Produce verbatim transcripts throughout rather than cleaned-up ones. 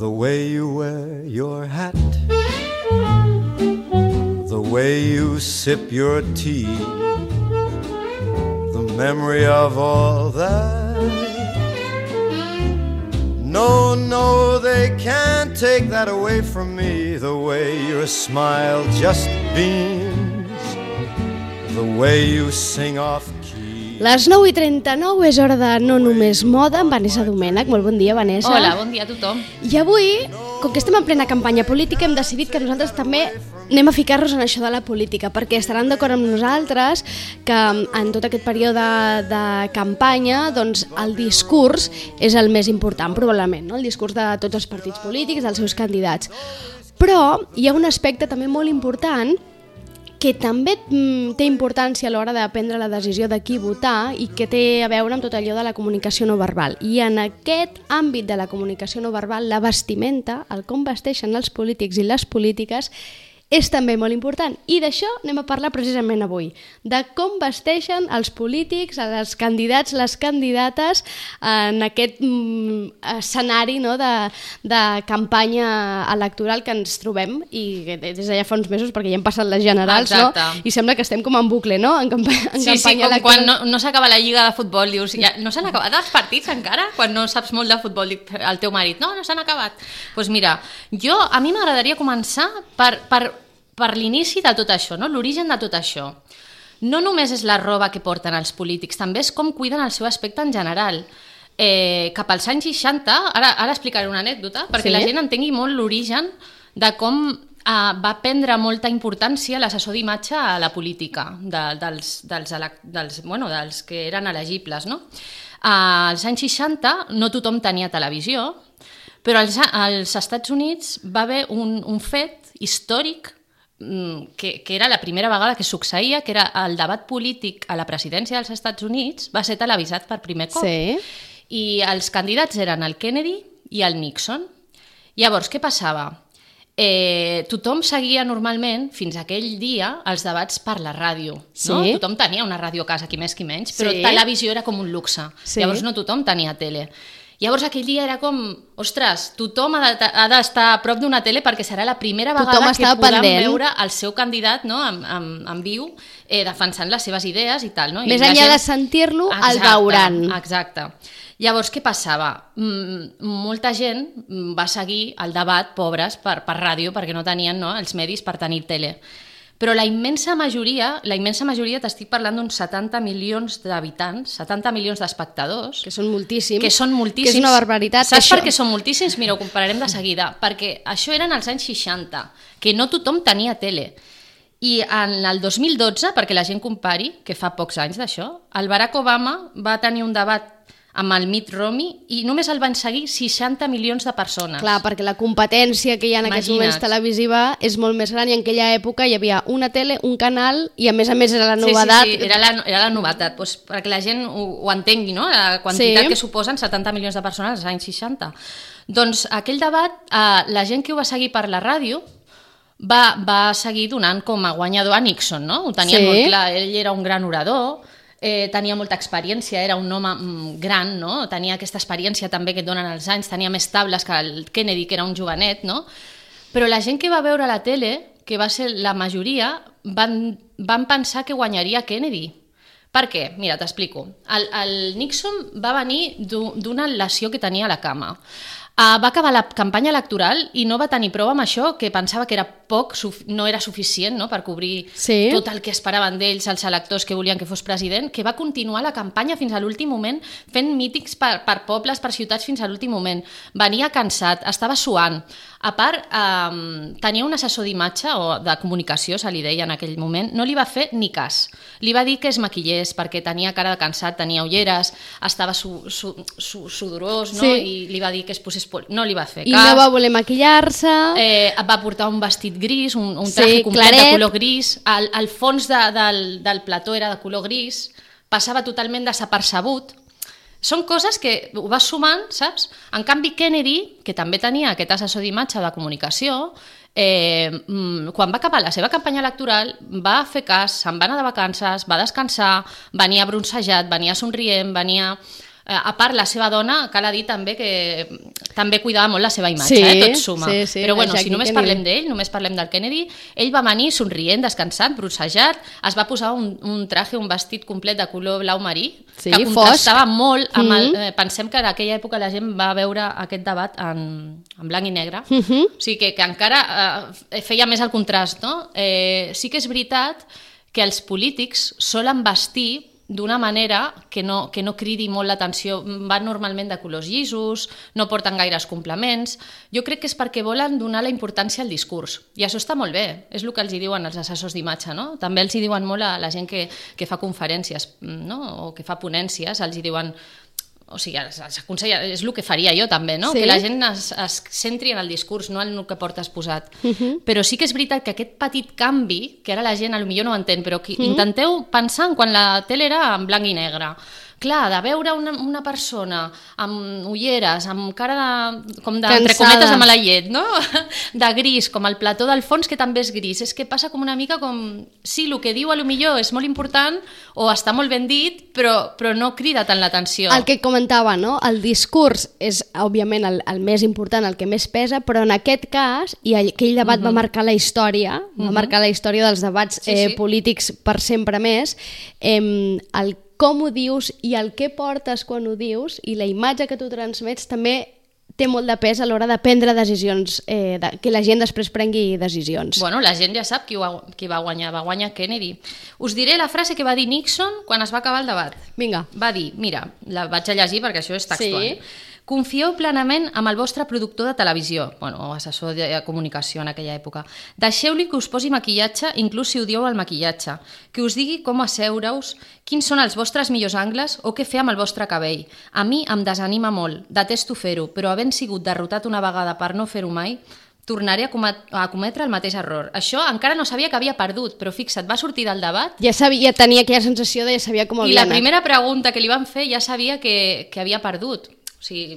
The way you wear your hat, the way you sip your tea, the memory of all that. No, no, they can't take that away from me. The way your smile just beams, the way you sing off key. Les nou i trenta-nou és hora de No Només Moda amb Vanessa Domènech. Molt bon dia, Vanessa. Hola, bon dia a tothom. I avui, com que estem en plena campanya política, hem decidit que nosaltres també anem a ficar-nos en això de la política, perquè estaran d'acord amb nosaltres que en tot aquest període de campanya doncs, el discurs és el més important, probablement, no? El discurs de tots els partits polítics, dels seus candidats. Però hi ha un aspecte també molt important que també mm, té importància a l'hora de prendre la decisió de qui votar i que té a veure amb tot allò de la comunicació no verbal. I en aquest àmbit de la comunicació no verbal, la vestimenta, el com vesteixen els polítics i les polítiques, és també molt important. I d'això anem a parlar precisament avui, de com vesteixen els polítics, els candidats, les candidates en aquest mm, escenari, no, de, de campanya electoral que ens trobem, i des d'allà fa uns mesos, perquè ja hem passat les generals, exacte, no? I sembla que estem com en bucle, no? En, campa en sí, campanya sí, com electoral. quan no, no s'acaba la lliga de futbol, dius, ja, no s'han acabat els partits encara? Quan no saps molt de futbol, dic al teu marit, no, no s'han acabat. Doncs pues mira, jo, a mi m'agradaria començar per... per per l'inici de tot això, no? L'origen de tot això. No només és la roba que porten els polítics, també és com cuiden el seu aspecte en general. Eh, cap als anys seixanta, ara, ara explicaré una anècdota, perquè sí? La gent entengui molt l'origen de com eh, va prendre molta importància l'assessor d'imatge a la política, de, dels, dels, dels, bueno, dels que eren elegibles. No? Eh, als anys seixanta no tothom tenia televisió, però als, als Estats Units va haver un, un fet històric Que, que era la primera vegada que succeïa, que era el debat polític a la presidència dels Estats Units va ser televisat per primer cop. Sí. I els candidats eren el Kennedy i el Nixon. Llavors, què passava? Eh, tothom seguia normalment, fins aquell dia, els debats per la ràdio. Sí. No? Tothom tenia una ràdio a casa, qui més qui menys, però sí. televisió era com un luxe. Sí. Llavors no tothom tenia tele. Llavors aquell dia era com, ostres, tothom ha d'estar a prop d'una tele perquè serà la primera vegada que podem pendent. veure el seu candidat, no, en, en, en viu, eh, defensant les seves idees i tal. No? I Més enllà gent... de sentir-lo, el veuran. Exacte. Llavors, què passava? Mm, molta gent va seguir el debat, pobres, per, per ràdio, perquè no tenien, no, els medis per tenir tele. Però la immensa majoria, la immensa majoria, t'estic parlant d'uns setanta milions d'habitants, setanta milions d'espectadors. Que són moltíssims. Que són moltíssims. Que és una barbaritat. Saps això... per què són moltíssims? Mira, ho compararem de seguida. Perquè això eren als anys seixanta, que no tothom tenia tele. I en el dos mil dotze, perquè la gent compari, que fa pocs anys d'això, el Barack Obama va tenir un debat amb el Mitt Romney i només el van seguir seixanta milions de persones. Clar, perquè la competència que hi ha en aquests moments televisiva és molt més gran i en aquella època hi havia una tele, un canal i a més a més era la novetat. Sí, sí, sí. Era, la, era la novetat, doncs, perquè la gent ho, ho entengui, no? La quantitat sí. que suposen setanta milions de persones als anys seixanta. Doncs aquell debat, eh, la gent que ho va seguir per la ràdio va, va seguir donant com a guanyador a Nixon, no? Ho tenien sí. molt clar, ell era un gran orador, Eh, tenia molta experiència, era un home mm, gran, no? Tenia aquesta experiència també que et donen els anys, tenia més tables que el Kennedy, que era un jovenet, no? Però la gent que va veure la tele, que va ser la majoria, van, van pensar que guanyaria Kennedy. Per què? Mira, t'explico. El, el Nixon va venir d'una lesió que tenia a la cama. Uh, va acabar la campanya electoral i no va tenir prou amb això, que pensava que era poc, no era suficient, no?, per cobrir sí. tot el que esperaven d'ells, els electors que volien que fos president, que va continuar la campanya fins a l'últim moment, fent mítings per, per pobles, per ciutats fins a l'últim moment. Venia cansat, estava suant. A part, eh, tenia un assessor d'imatge o de comunicació, se li deia en aquell moment, no li va fer ni cas. Li va dir que es maquillés perquè tenia cara de cansat, tenia ulleres, estava su, su, su, sudorós, no? Sí. I li va dir que es posés... No li va fer cas. I no va voler maquillar-se. Eh, va portar un vestit gris, un, un traje sí, complet claret. De color gris. El, el fons de, del, del plató era de color gris. Passava totalment desapercebut. Són coses que ho vas sumant, saps? En canvi, Kennedy, que també tenia aquest assessor d'imatge de comunicació, eh, quan va acabar la seva campanya electoral, va fer cas, se'n va anar de vacances, va descansar, venia bronzejat, venia somrient, venia... A part, la seva dona, cal dir també que també cuidava molt la seva imatge, sí, eh? Tot suma. Sí, sí, però bueno, si només Kennedy. parlem d'ell, només parlem del Kennedy, ell va venir somrient, descansat, brossejat, es va posar un, un traje, un vestit complet de color blau marí, sí, que contrastava fosc. molt amb el... Mm -hmm. Eh, pensem que en aquella època la gent va veure aquest debat en, en blanc i negre, mm -hmm. o sigui que, que encara eh, feia més el contrast, no? Eh, sí que és veritat que els polítics solen vestir d'una manera que no, que no cridi molt l'atenció. Van normalment de colors llisos, no porten gaires complements. Jo crec que és perquè volen donar la importància al discurs. I això està molt bé, és el que els hi diuen els assessors d'imatge, no? També els hi diuen molt a la gent que, que fa conferències, no? O que fa ponències, els hi diuen... O sigui, s'aconsella, és el que faria jo també, no? Sí. Que la gent es, es centri en el discurs, no en el que portes posat. Uh-huh. Però sí que és veritat que aquest petit canvi, que ara la gent potser no ho entén, però que uh-huh. intenteu pensar en quan la tele era en blanc i negre. Clar, de veure una, una persona amb ulleres, amb cara de, com de, entre cometes de mala llet, no? De gris, com el plató del fons, que també és gris. És que passa com una mica com... Sí, el que diu a lo millor és molt important o està molt ben dit, però, però no crida tant l'atenció. El que comentava, no? El discurs és, òbviament, el, el més important, el que més pesa, però en aquest cas, i aquell debat uh-huh. va marcar la història, uh-huh. va marcar la història dels debats sí, eh, sí. polítics per sempre més, eh, el com ho dius i el que portes quan ho dius i la imatge que tu transmets també té molt de pes a l'hora de prendre decisions, eh, de, que la gent després prengui decisions. Bueno, la gent ja sap qui, ho, qui va guanyar, va guanyar Kennedy. Us diré la frase que va dir Nixon quan es va acabar el debat. Vinga. Va dir, mira, la vaig a llegir perquè això és textual. Sí. Confieu plenament amb el vostre productor de televisió, bueno, o assessor de comunicació en aquella època. Deixeu-li que us posi maquillatge, inclús si odieu el maquillatge, que us digui com asseure-us, quins són els vostres millors angles o què fer amb el vostre cabell. A mi em desanima molt, detesto fer-ho, però havent sigut derrotat una vegada per no fer-ho mai, tornaré a, comet a cometre el mateix error. Això encara no sabia que havia perdut, però fixa't, va sortir del debat... Ja, sabia, ja tenia aquella sensació de ja sabia com havia I la anat. primera pregunta que li van fer ja sabia que, que havia perdut. O sigui,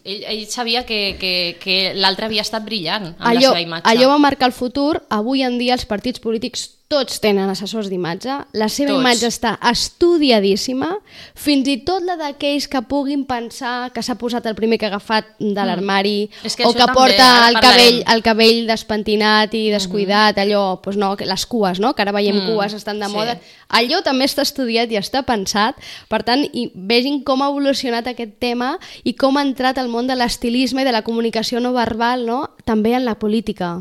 ell, ell sabia que, que, que l'altre havia estat brillant amb allò, la seva imatge. Allò va marcar el futur. Avui en dia els partits polítics tots tenen assessors d'imatge, la seva Tots. imatge està estudiadíssima, fins i tot la d'aquells que puguin pensar que s'ha posat el primer que ha agafat de l'armari, mm. que o que també, porta el cabell, parlarem. el cabell despentinat i descuidat, mm-hmm. allò, doncs no, les cues, no? Que ara veiem mm. cues, estan de sí. moda. Allò també està estudiat i està pensat, per tant, i vegin com ha evolucionat aquest tema i com ha entrat al món de l'estilisme i de la comunicació no verbal, no? També en la política.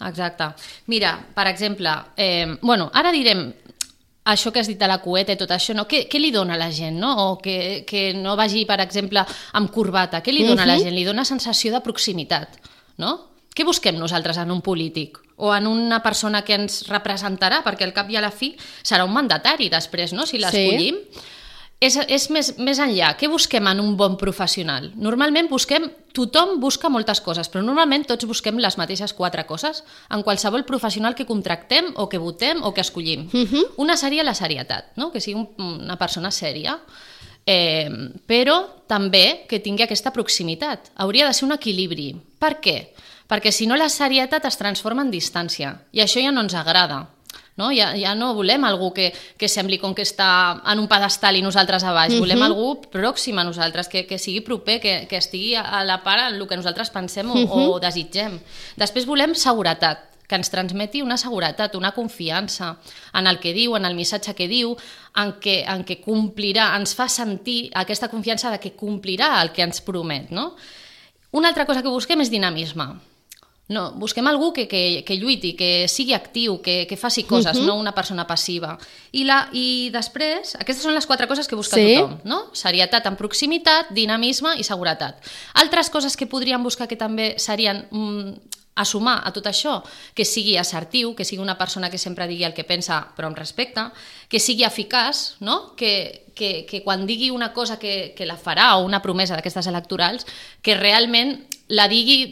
Exacte. Mira, per exemple, eh, bueno, ara direm això que has dit de la cueta i tot això, no? Què, què li dona a la gent, no? O que, que no vagi, per exemple, amb corbata. Què li dona uh-huh. a la gent? Li dona sensació de proximitat, no? Què busquem nosaltres en un polític? O en una persona que ens representarà, perquè al cap i a la fi serà un mandatari després, no? Si l'escollim. Sí. És, és més, més enllà. Què busquem en un bon professional? Normalment busquem, tothom busca moltes coses, però normalment tots busquem les mateixes quatre coses en qualsevol professional que contractem o que votem o que escollim. Uh-huh. Una seria la serietat, no? Que sigui un, una persona sèria, eh, però també que tingui aquesta proximitat. Hauria de ser un equilibri. Per què? Perquè si no la serietat es transforma en distància i això ja no ens agrada. No? Ja, ja no volem algú que, que sembli com que està en un pedestal i nosaltres a baix, uh-huh. volem algú pròxim a nosaltres, que, que sigui proper, que, que estigui a la part en el que nosaltres pensem o, uh-huh. o desitgem. Després volem seguretat, que ens transmeti una seguretat, una confiança en el que diu, en el missatge que diu, en què, en què complirà, ens fa sentir aquesta confiança de que complirà el que ens promet. No? Una altra cosa que busquem és dinamisme. No, busquem algú que, que, que lluiti, que sigui actiu, que, que faci coses, uh-huh. no una persona passiva. I, la, I després, aquestes són les quatre coses que busca sí. tothom, no? Serietat en proximitat, dinamisme i seguretat. Altres coses que podríem buscar que també serien mm, a sumar a tot això, que sigui assertiu, que sigui una persona que sempre digui el que pensa però amb respecte, que sigui eficaç, no? que, que, que quan digui una cosa que, que la farà o una promesa d'aquestes electorals, que realment la digui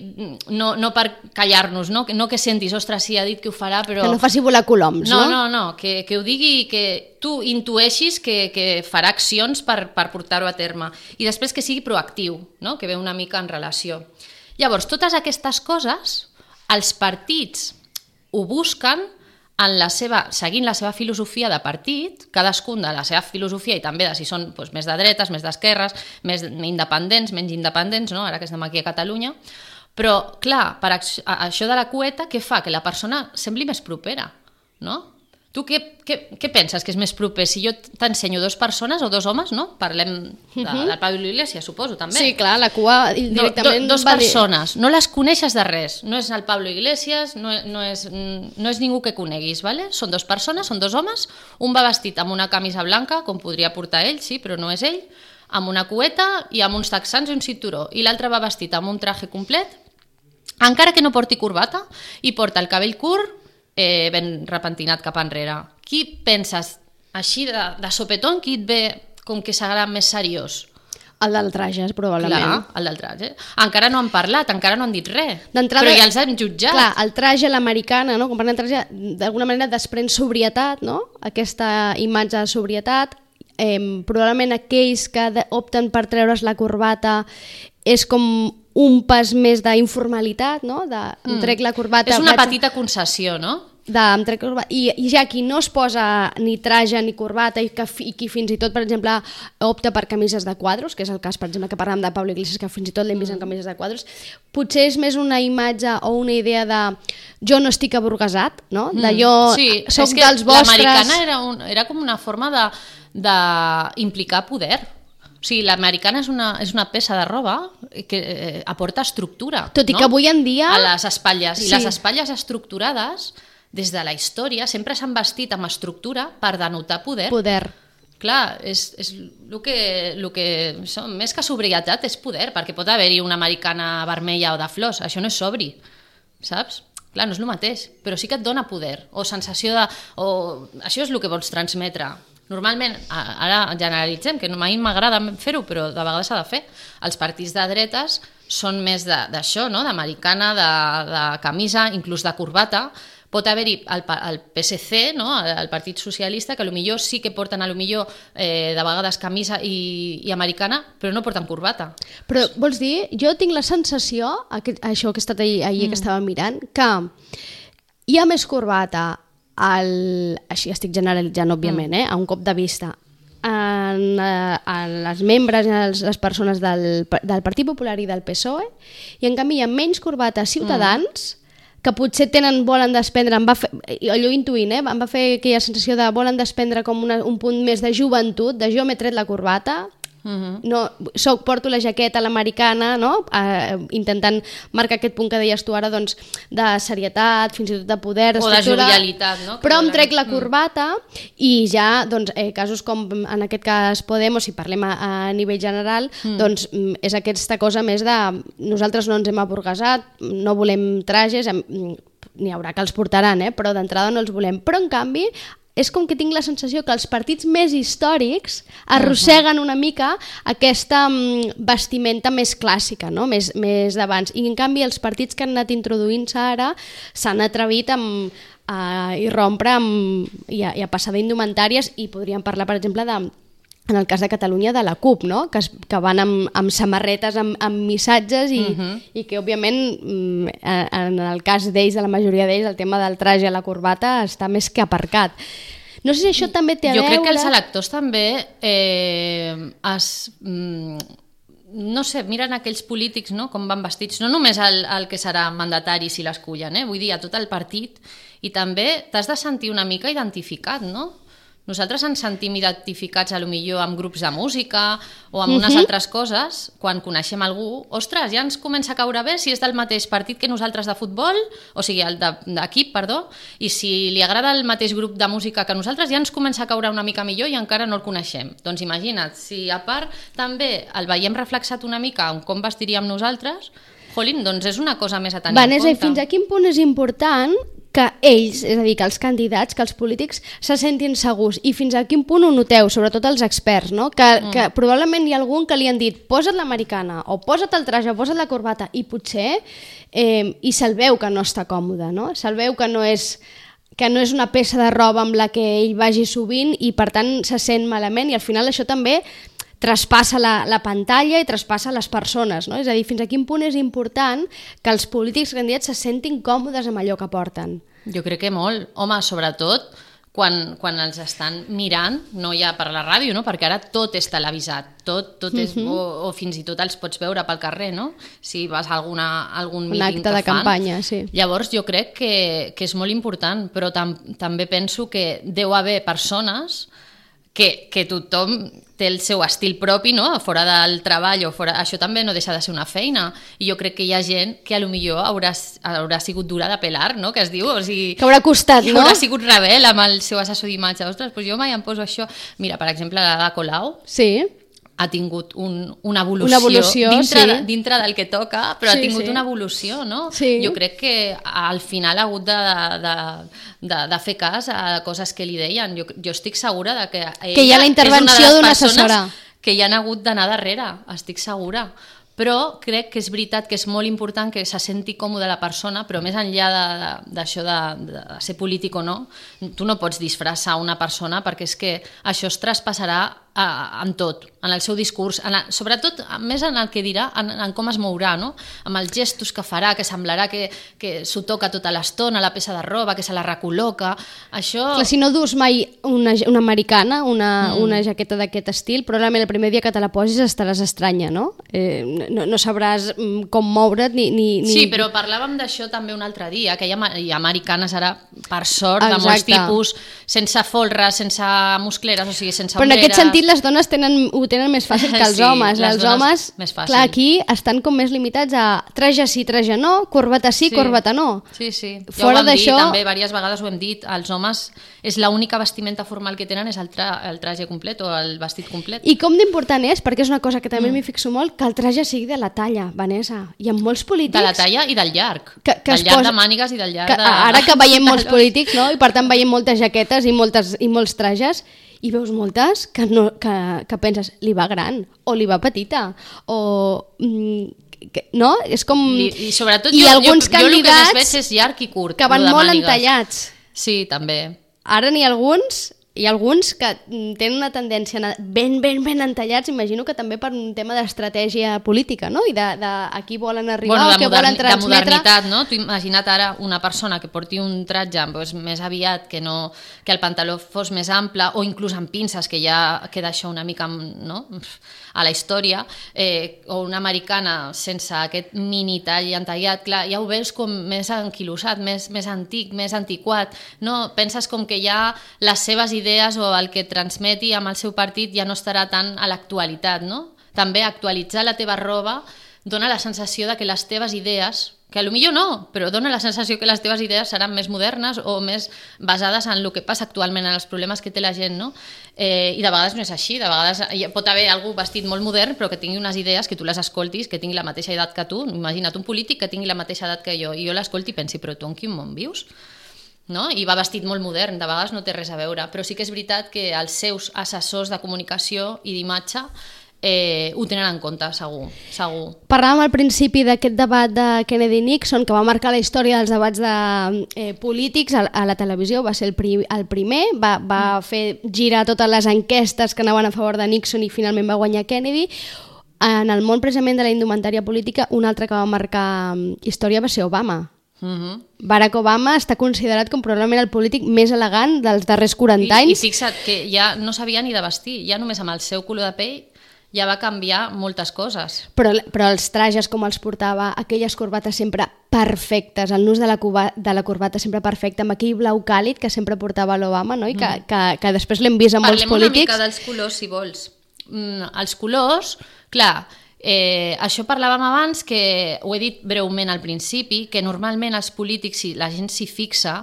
no, no per callar-nos, no? no que sentis, ostres, sí, ha dit que ho farà, però... Que no faci volar coloms, no? No, no, no, que, que ho digui, que tu intueixis que, que farà accions per, per portar-ho a terme. I després que sigui proactiu, no? Que ve una mica en relació. Llavors, totes aquestes coses, els partits ho busquen en la seva, seguint la seva filosofia de partit, cadascun de la seva filosofia i també de si són doncs, més de dretes, més d'esquerres, més independents, menys independents, no? Ara que estem aquí a Catalunya. Però, clar, per això de la cueta, què fa? Que la persona sembli més propera, no? Tu què, què, què penses que és més proper? Si jo t'ensenyo dos persones o dos homes, no? Parlem de, del Pablo Iglesias, suposo, també. Sí, clar, la cua directament... Do, do, dos persones, no les coneixes de res. No és el Pablo Iglesias, no, no, és, no és ningú que coneguis, ¿vale? Són dos persones, són dos homes, un va vestit amb una camisa blanca, com podria portar ell, sí, però no és ell, amb una cueta i amb uns texans i un cinturó, i l'altre va vestit amb un traje complet, encara que no porti corbata, i porta el cabell curt, Eh, ben repentinat cap enrere. Qui penses, així de, de sopetón, qui et ve com que serà més seriós? El del traje, probablement. Clar, el del traje. Encara no han parlat, encara no han dit res, però ja els han jutjat. Clar, el traje, l'americana, no? Com parlem de traje, d'alguna manera desprèn sobrietat, no? Aquesta imatge de sobrietat. Eh, probablement aquells que opten per treure's la corbata és com un pas més d'informalitat, no? De, em trec la corbata... És una petita concessió, no? De, em trec la corbata, i, I ja qui no es posa ni traje ni corbata i, que, i qui fins i tot, per exemple, opta per camises de quadros, que és el cas, per exemple, que parlem de Pablo Iglesias, que fins i tot l'hem vist en camises de quadros, potser és més una imatge o una idea de jo no estic aburguesat, no? De jo sí, soc dels vostres... L'americana era, un, era com una forma d'implicar poder. O sigui, l'americana és una, és una peça de roba que eh, aporta estructura. Tot i no? que avui en dia... A les espatlles. Sí. I les espatlles estructurades, des de la història, sempre s'han vestit amb estructura per denotar poder. Poder. Clar, és, és el que, el que som, més que sobrietat és poder, perquè pot haver-hi una americana vermella o de flors, això no és sobri, saps? Clar, no és el mateix, però sí que et dona poder, o sensació de... O, això és el que vols transmetre. Normalment, ara generalitzem, que mai m'agrada fer-ho, però de vegades s'ha de fer. Els partits de dretes són més d'això, no? D'americana, de, de camisa, inclús de corbata. Pot haver-hi el, el P S C, no? El Partit Socialista, que potser sí que porten potser eh, de vegades camisa i, i americana, però no porten corbata. Però vols dir, jo tinc la sensació, això que he estat ahir, ahir mm. que estava mirant, que hi ha més corbata, el, així estic generalitzant, òbviament, eh, a un cop de vista, en, en les membres i les, les persones del, del Partit Popular i del P S O E, i en canvi hi ha menys corbata Ciutadans, mm. que potser tenen, volen desprendre, em va fer, allò intuint, eh, em va fer aquella sensació de volen desprendre com una, un punt més de joventut, de jo m'he tret la corbata, Uh-huh. no, soc, porto la jaqueta a l'americana, no? eh, intentant marcar aquest punt que deies tu ara, doncs, de serietat, fins i tot de poder, o de jovialitat, no? Però em trec la corbata mm. i ja, doncs, eh, casos com en aquest cas Podemos, si parlem a, a nivell general, mm. doncs és aquesta cosa més de nosaltres no ens hem aburguesat, no volem trajes, n'hi haurà que els portaran, eh? Però d'entrada no els volem, però en canvi és com que tinc la sensació que els partits més històrics arrosseguen una mica aquesta vestimenta més clàssica, no? més, més d'abans. I en canvi els partits que han anat introduint-se ara s'han atrevit amb, a irrompre amb, i, a, i a passar d'indumentàries, i podríem parlar, per exemple, de, en el cas de Catalunya, de la CUP, no? que, es, que van amb, amb samarretes, amb, amb missatges, i, uh-huh. i que, òbviament, en el cas d'ells, de la majoria d'ells, el tema del traje a la corbata està més que aparcat. No sé si això també té a jo veure... Jo crec que els electors també eh, es... no sé, miren aquells polítics, no? Com van vestits, no només el, el que serà mandatari si l'escullen, eh? Vull dir, a tot el partit, i també t'has de sentir una mica identificat, no? Nosaltres ens sentim identificats a lo millor amb grups de música o amb unes uh-huh. altres coses, quan coneixem algú, ostres, ja ens comença a caure bé si és del mateix partit que nosaltres de futbol, o sigui, el d'equip, perdó, i si li agrada el mateix grup de música que nosaltres, ja ens comença a caure una mica millor i encara no el coneixem. Doncs imagina't, si a part també el veiem reflexat una mica en com vestiríem nosaltres, jolín, doncs és una cosa més a tenir Vanessa, en compte. Fins a quin punt és important que ells, és a dir, que els candidats, que els polítics se sentin segurs, i fins a quin punt ho noteu, sobretot els experts, no? que, mm. que probablement hi ha algun que li han dit posa't l'americana, o posa't el traje, o posa't la corbata, i potser eh, i se'l veu que no està còmode, no? Se'l veu que no és que no és una peça de roba amb la que ell vagi sovint, i per tant se sent malament, i al final això també traspassa la, la pantalla i traspassa les persones, no? És a dir, fins a quin punt és important que els polítics candidats se sentin còmodes amb allò que porten. Jo crec que molt. Home, sobretot quan, quan els estan mirant, no ja per la ràdio, no? Perquè ara tot és televisat, tot, tot és, uh-huh. o, o fins i tot els pots veure pel carrer, no? Si vas a alguna, algun un míting acte que de fan. campanya, sí. Llavors jo crec que, que és molt important, però tam, també penso que deu haver persones que, que tothom té el seu estil propi, no? Fora del treball o fora... Això també no deixa de ser una feina. I jo crec que hi ha gent que a lo millor haurà, haurà sigut dura de pelar, no? Que es diu, o sigui... Que haurà costat, que no? haurà sigut rebel amb el seu assessor d'imatge. Ostres, doncs jo mai em poso això. Mira, per exemple, la Colau... Sí. ha tingut un, una evolució, una evolució dintre, sí. de, dintre del que toca, però sí, ha tingut sí. una evolució, no? Sí. Jo crec que al final ha hagut de, de, de, de fer cas a coses que li deien. Jo, jo estic segura de que ella que hi ha la intervenció d'una assessora. Que hi han hagut d'anar darrere, estic segura. Però crec que és veritat que és molt important que se senti còmode la persona, però més enllà d'això de, de, de ser polític o no, tu no pots disfressar una persona perquè és que això es traspassarà a, en tot, en el seu discurs, en el, sobretot més en el que dirà, en, en com es mourà, no? Amb els gestos que farà, que semblarà que, que s'ho toca tota l'estona, la peça de roba, que se la recol·loca, això... Clar, si no dus mai una, una americana, una, mm. una jaqueta d'aquest estil, probablement el primer dia que te la posis estaràs estranya, no? Eh, no, no sabràs com moure't ni... ni, ni... Sí, però parlàvem d'això també un altre dia, que hi ha, hi ha americanes ara, per sort, exacte. De molts tipus, sense folres, sense muscleres, o sigui, sense però ombreres. En aquest sentit les dones tenen, ho tenen més fàcil que els sí, homes. Els homes, més fàcil. clar, aquí estan com més limitats a traje sí, traje no, corbata sí, sí. corbata no. Sí, sí. Fora ja ho vam d'això... dir, també diverses vegades ho hem dit, els homes és l'única vestimenta formal que tenen és el, tra el traje complet o el vestit complet. I com d'important és, perquè és una cosa que també mm. m'hi fixo molt, que el traje sigui de la talla, Vanessa. Hi ha molts polítics... De la talla i del llarg. Que, que del llarg posa... de mànigues i del llarg que, de... Ara que veiem molts polítics, no? I per tant veiem moltes jaquetes i, moltes, i molts trajes, i veus moltes que, no, que, que penses, li va gran, o li va petita, o... Mm, que, no? És com... I, i sobretot I jo, alguns jo, jo el que candidats més veig és llarg i curt. que van molt mànigues. entallats. Sí, també. Ara n'hi ha alguns... Hi ha alguns que tenen una tendència a anar ben, ben, ben entallats, imagino que també per un tema d'estratègia política, no? I de, de a qui volen arribar bueno, o què volen transmetre. De modernitat, no? Tu imagina't ara una persona que porti un tratge doncs, més aviat, que, no, que el pantaló fos més ample, o inclús amb pinces, que ja queda això una mica, no?, a la història, eh, o una americana sense aquest mini tall entallat, clar, ja ho veus com més anquilosat, més, més antic, més antiquat, no? Penses com que ja les seves idees o el que transmeti amb el seu partit ja no estarà tan a l'actualitat, no? També actualitzar la teva roba dona la sensació de que les teves idees, que potser no, però dona la sensació que les teves idees seran més modernes o més basades en el que passa actualment, en els problemes que té la gent, no? Eh, I de vegades no és així, de vegades pot haver algú vestit molt modern però que tingui unes idees, que tu les escoltis, que tingui la mateixa edat que tu, imagina't un polític que tingui la mateixa edat que jo, i jo l'escolti i pensi, però tu en quin món vius? No? I va vestit molt modern, de vegades no té res a veure, però sí que és veritat que els seus assessors de comunicació i d'imatge eh, ho tenen en compte, segur, segur. Parlàvem al principi d'aquest debat de Kennedy-Nixon, que va marcar la història dels debats de, eh, polítics a, a la televisió, va ser el, pri, el primer, va, va mm. fer girar totes les enquestes que anaven a favor de Nixon i finalment va guanyar Kennedy. En el món precisament de la indumentària política, un altre que va marcar història va ser Obama. Uh-huh. Barack Obama està considerat com probablement el polític més elegant dels darrers quaranta anys. I, i fixa't que ja no sabia ni de vestir, ja només amb el seu color de pell ja va canviar moltes coses. Però, però els trajes com els portava, aquelles corbates sempre perfectes, el nus de la, cuba, de la corbata sempre perfecte, amb aquell blau càlid que sempre portava l'Obama, no? I que, mm. que, que després l'hem vist amb Parlem molts polítics. Parlem una mica dels colors, si vols. Mm, els colors, clar, eh, això parlàvem abans, que ho he dit breument al principi, que normalment els polítics, si la gent s'hi fixa,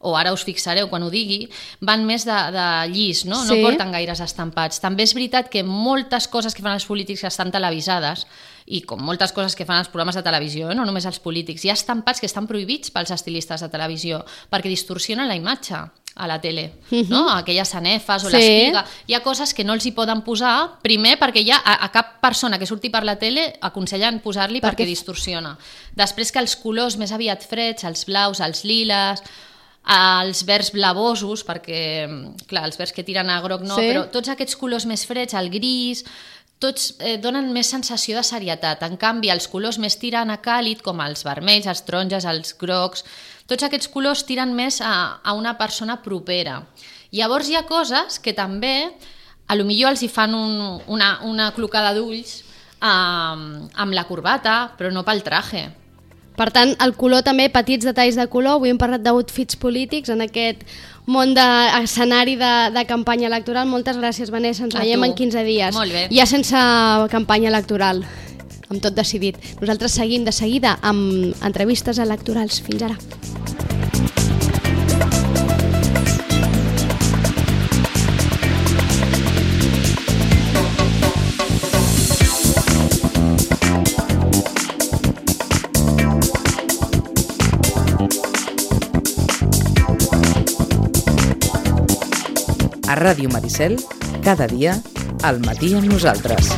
o ara us fixareu quan ho digui, van més de, de llis, no? Sí. No porten gaires estampats. També és veritat que moltes coses que fan els polítics que estan televisades, i com moltes coses que fan els programes de televisió, eh? No només els polítics, hi ha estampats que estan prohibits pels estilistes de televisió, perquè distorsionen la imatge a la tele, uh-huh. no? Aquelles sanefes o sí. l'espiga. Hi ha coses que no els hi poden posar, primer perquè ja a, a cap persona que surti per la tele aconsellen posar-li perquè... perquè distorsiona. Després que els colors més aviat freds, els blaus, els liles, els verds blavosos, perquè, clar, els verds que tiren a groc no, sí. però tots aquests colors més freds, el gris, tots eh, donen més sensació de serietat. En canvi, els colors més tiren a càlid, com els vermells, els taronges, els grocs, tots aquests colors tiren més a, a una persona propera. Llavors hi ha coses que també, a lo millor els hi fan un, una, una clocada d'ulls eh, amb la corbata, però no pel traje. Per tant, el color també, petits detalls de color. Avui hem parlat d'outfits polítics en aquest món d'escenari de, de campanya electoral. Moltes gràcies, Vanessa. Ens A veiem tu. en quinze dies. Molt bé. Ja sense campanya electoral, amb tot decidit. Nosaltres seguim de seguida amb entrevistes electorals. Fins ara. A Ràdio Maricel, cada dia, al matí amb nosaltres.